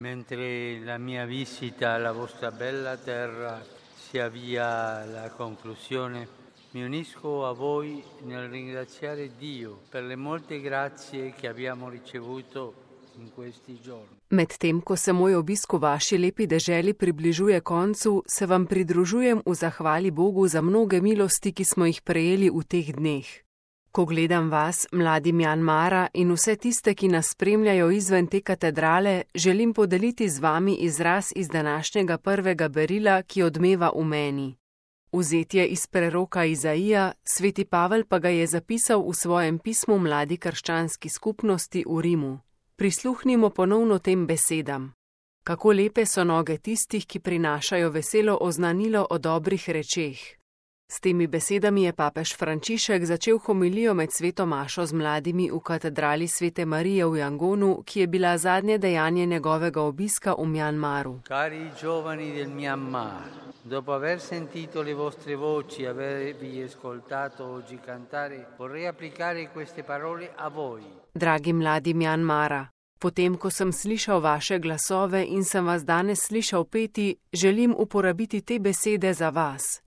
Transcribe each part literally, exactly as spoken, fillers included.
Mentre la mia visita alla vostra bella terra si avvia alla conclusione, mi unisco a voi nel ringraziare Dio per le molte grazie che abbiamo ricevuto in questi giorni. Medtem, ko se moj obisk v vaši lepi deželi približuje koncu, se vam pridružujem v zahvali Bogu za mnoge milosti, ki smo jih prejeli v teh dneh. Ko gledam vas, mladi Mjanmara, in vse tiste, ki nas spremljajo izven te katedrale, želim podeliti z vami izraz iz današnjega prvega berila, ki odmeva v meni. Vzet je iz preroka Izaija, sveti Pavel pa ga je zapisal v svojem pismu mladi krščanski skupnosti v Rimu. Prisluhnimo ponovno tem besedam. Kako lepe so noge tistih, ki prinašajo veselo oznanilo o dobrih rečeh. S temi besedami je papež Frančišek začel homilijo med sveto mašo z mladimi v katedrali svete Marije v Jangonu, ki je bila zadnje dejanje njegovega obiska v Mjanmaru. Cari giovani del Myanmar, dopo aver sentito le vostre voci, avervi ascoltato oggi cantare, vorrei applicare queste parole a voi. Dragi mladi Mjanmara, potem, ko sem slišal vaše glasove in sem vas danes slišal peti, želim uporabiti te besede za vas.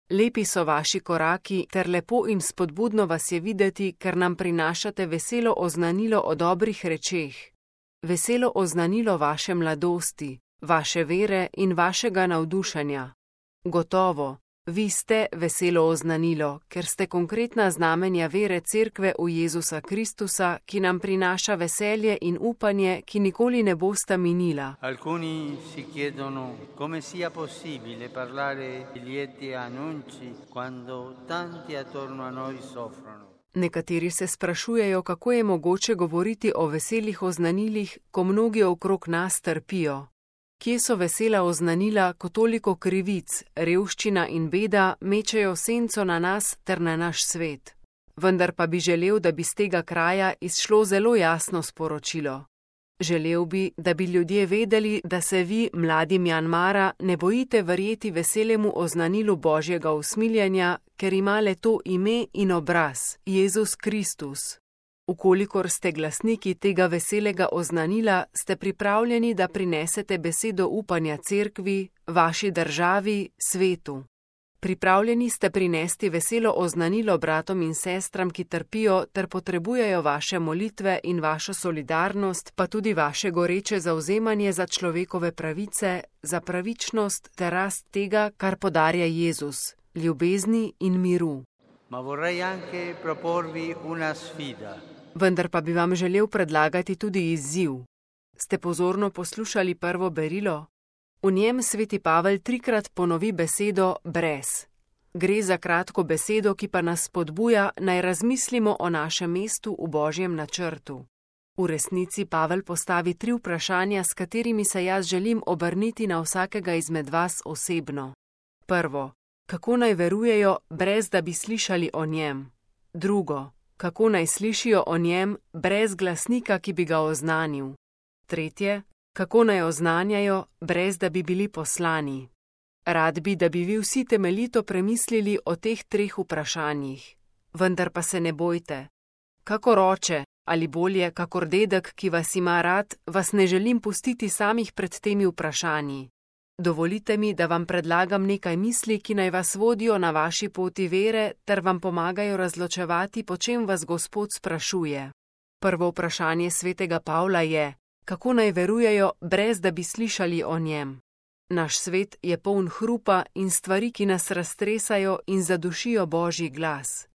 Lepi so vaši koraki, ter lepo in spodbudno vas je videti, ker nam prinašate veselo oznanilo o dobrih rečeh. Veselo oznanilo vaše mladosti, vaše vere in vašega navdušenja. Gotovo, vi ste veselo oznanilo, ker ste konkretna znamenja vere Cerkve v Jezusa Kristusa, ki nam prinaša veselje in upanje, ki nikoli ne bosta minila. Alcuni si chiedono come sia possibile parlare di lieti annunci quando tanti attorno a noi soffrono. Nekateri se sprašujejo, kako je mogoče govoriti o veselih oznanilih, ko mnogi okrog nas trpijo. Kje so vesela oznanila, ko toliko krivic, revščina in beda mečejo senco na nas ter na naš svet? Vendar pa bi želel, da bi z tega kraja izšlo zelo jasno sporočilo. Želel bi, da bi ljudje vedeli, da se vi, mladi Mjanmara, ne bojite verjeti veselemu oznanilu Božjega usmiljenja, ker ima le to ime in obraz, Jezus Kristus. Ukolikor ste glasniki tega veselega oznanila, ste pripravljeni, da prinesete besedo upanja Cerkvi, vaši državi, svetu. Pripravljeni ste prinesti veselo oznanilo bratom in sestram, ki trpijo ter potrebujejo vaše molitve in vašo solidarnost, pa tudi vaše goreče zavzemanje za človekove pravice, za pravičnost ter rast tega, kar podarja Jezus, ljubezni in miru. Ma vorrei anche proporvi una sfida. Vendar pa bi vam želel predlagati tudi izziv. Ste pozorno poslušali prvo berilo? V njem sveti Pavel trikrat ponovi besedo brez. Gre za kratko besedo, ki pa nas spodbuja, naj razmislimo o našem mestu v Božjem načrtu. V resnici Pavel postavi tri vprašanja, s katerimi se jaz želim obrniti na vsakega izmed vas osebno. Prvo, kako naj verujejo, brez da bi slišali o njem? Drugo, kako naj slišijo o njem, brez glasnika, ki bi ga oznanil? Tretje, kako naj oznanjajo, brez da bi bili poslani? Rad bi, da bi vi vsi temeljito premislili o teh treh vprašanjih. Vendar pa se ne bojte. Kakor oče, ali bolje, kakor dedek, ki vas ima rad, vas ne želim pustiti samih pred temi vprašanji. Dovolite mi, da vam predlagam nekaj misli, ki naj vas vodijo na vaši poti vere, ter vam pomagajo razločevati, po čem vas Gospod sprašuje. Prvo vprašanje svetega Pavla je, kako naj verujejo, brez da bi slišali o njem. Naš svet je poln hrupa in stvari, ki nas raztresajo in zadušijo Božji glas.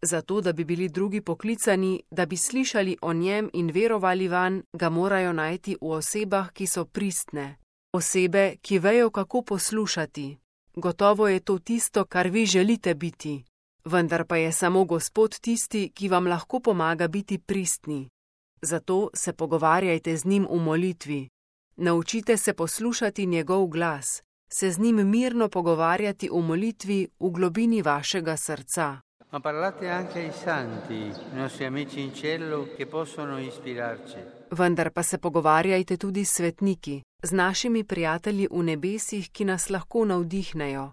Zato, da bi bili drugi poklicani, da bi slišali o njem in verovali vanj, ga morajo najti v osebah, ki so pristne. Osebe, ki vejo, kako poslušati. Gotovo je to tisto, kar vi želite biti. Vendar pa je samo Gospod tisti, ki vam lahko pomaga biti pristni. Zato se pogovarjajte z njim v molitvi. Naučite se poslušati njegov glas, se z njim mirno pogovarjati v molitvi v globini vašega srca. Ma parlate anche ai santi, nostri amici in cielo, che possono ispirarci. Vendar pa se pogovarjajte tudi s svetniki, z našimi prijatelji v nebesih, ki nas lahko navdihnejo.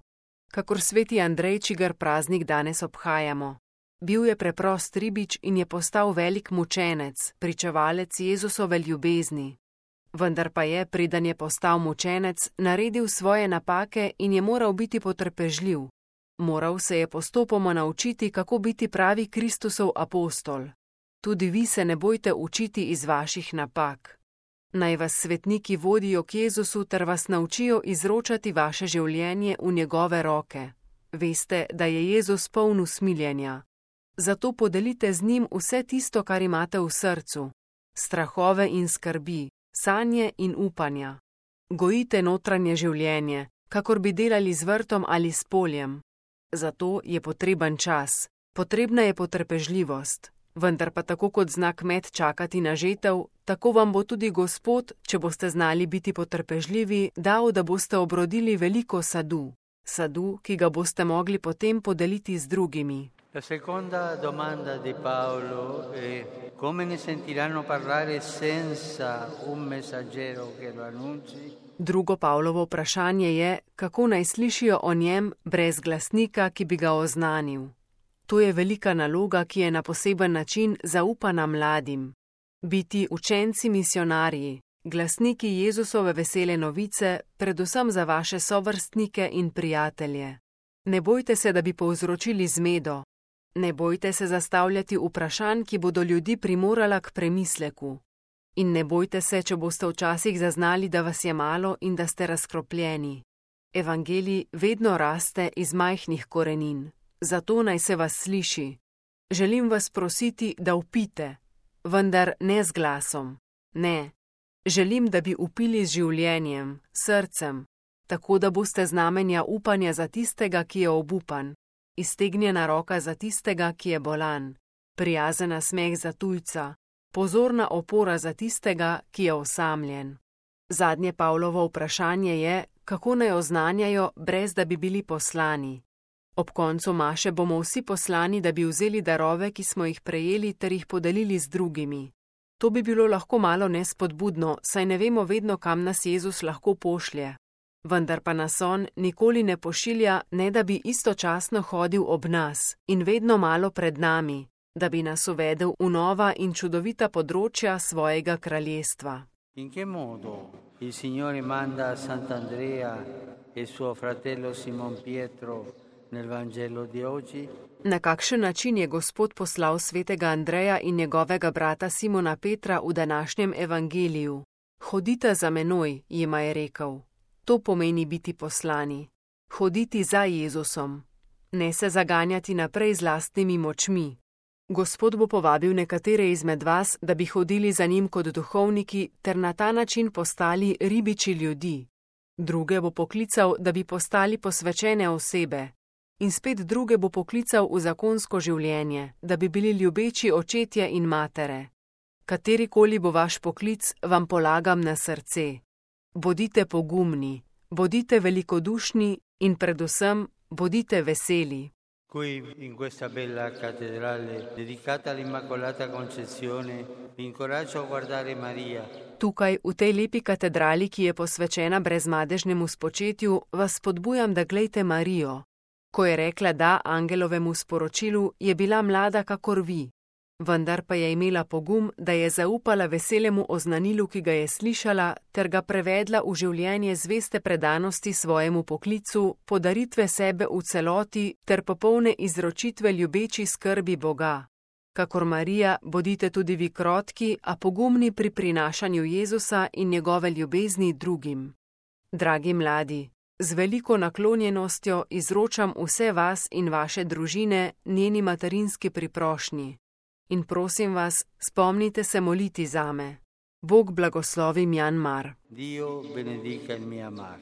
Kakor sveti Andrej, čigar praznik danes obhajamo. Bil je preprost ribič in je postal velik mučenec, pričevalec Jezusove ljubezni. Vendar pa je, preden je postal mučenec, naredil svoje napake in je moral biti potrpežljiv. Moral se je postopoma naučiti, kako biti pravi Kristusov apostol. Tudi vi se ne bojte učiti iz vaših napak. Naj vas svetniki vodijo k Jezusu ter vas naučijo izročati vaše življenje v njegove roke. Veste, da je Jezus poln usmiljenja. Zato podelite z njim vse tisto, kar imate v srcu. Strahove in skrbi, sanje in upanja. Gojite notranje življenje, kakor bi delali z vrtom ali s poljem. Zato je potreben čas, potrebna je potrpežljivost. Vendar pa tako kot zna kmet čakati na žetev, tako vam bo tudi Gospod, če boste znali biti potrpežljivi, dal, da boste obrodili veliko sadu. Sadu, ki ga boste mogli potem podeliti z drugimi. La seconda domanda di Paolo è come ne sentiranno parlare senza un messaggero che lo annunci? Drugo Pavlovo vprašanje je, kako naj slišijo o njem brez glasnika, ki bi ga oznanil. To je velika naloga, ki je na poseben način zaupana mladim. Biti učenci misionarji, glasniki Jezusove vesele novice, predvsem za vaše sovrstnike in prijatelje. Ne bojte se, da bi povzročili zmedo. Ne bojte se zastavljati vprašanj, ki bodo ljudi primorala k premisleku. In ne bojte se, če boste včasih zaznali, da vas je malo in da ste razkropljeni. Evangelij vedno raste iz majhnih korenin. Zato naj se vas sliši. Želim vas prositi, da vpite, vendar ne z glasom. Ne. Želim, da bi vpili z življenjem, srcem, tako da boste znamenja upanja za tistega, ki je obupan, iztegnjena roka za tistega, ki je bolan, prijazen nasmeh za tujca, pozorna opora za tistega, ki je osamljen. Zadnje Pavlovo vprašanje je, kako naj oznanjajo, brez da bi bili poslani. Ob koncu maše bomo vsi poslani, da bi vzeli darove, ki smo jih prejeli, ter jih podelili z drugimi. To bi bilo lahko malo nespodbudno, saj ne vemo vedno, kam nas Jezus lahko pošlje. Vendar pa nas on nikoli ne pošilja, ne da bi istočasno hodil ob nas in vedno malo pred nami, da bi nas uvedel v nova in čudovita področja svojega kraljestva. In che modo il Signore manda Sant'Andrea e suo fratello Simon Pietro nel Vangelo di oggi? Na kakšen način je Gospod poslal svetega Andreja in njegovega brata Simona Petra v današnjem evangeliju? Hodite za menoj, jima je rekel. To pomeni biti poslani. Hoditi za Jezusom. Ne se zaganjati naprej z lastnimi močmi. Gospod bo povabil nekatere izmed vas, da bi hodili za njim kot duhovniki ter na ta način postali ribiči ljudi. Druge bo poklical, da bi postali posvečene osebe. In spet druge bo poklical v zakonsko življenje, da bi bili ljubeči očetje in matere. Katerikoli bo vaš poklic, vam polagam na srce. Bodite pogumni, bodite velikodušni in predvsem bodite veseli. Qui in questa bella cattedrale dedicata all'Immacolata Concezione vi incoraggio a guardare Maria. Tukaj v tej lepi katedrali, ki je posvečena brezmadežnemu spočetju, vas spodbujam, da glejte Marijo. Ko je rekla da angelovemu sporočilu, je bila mlada kakor vi. Vendar pa je imela pogum, da je zaupala veselemu oznanilu, ki ga je slišala, ter ga prevedla v življenje zveste predanosti svojemu poklicu, podaritve sebe v celoti ter popolne izročitve ljubeči skrbi Boga. Kakor Marija, bodite tudi vi krotki, a pogumni pri prinašanju Jezusa in njegove ljubezni drugim. Dragi mladi, z veliko naklonjenostjo izročam vse vas in vaše družine njeni materinski priprošnji. In prosim vas, spomnite se moliti zame. Bog blagoslovi Mjanmar. Dio benedica il Myanmar.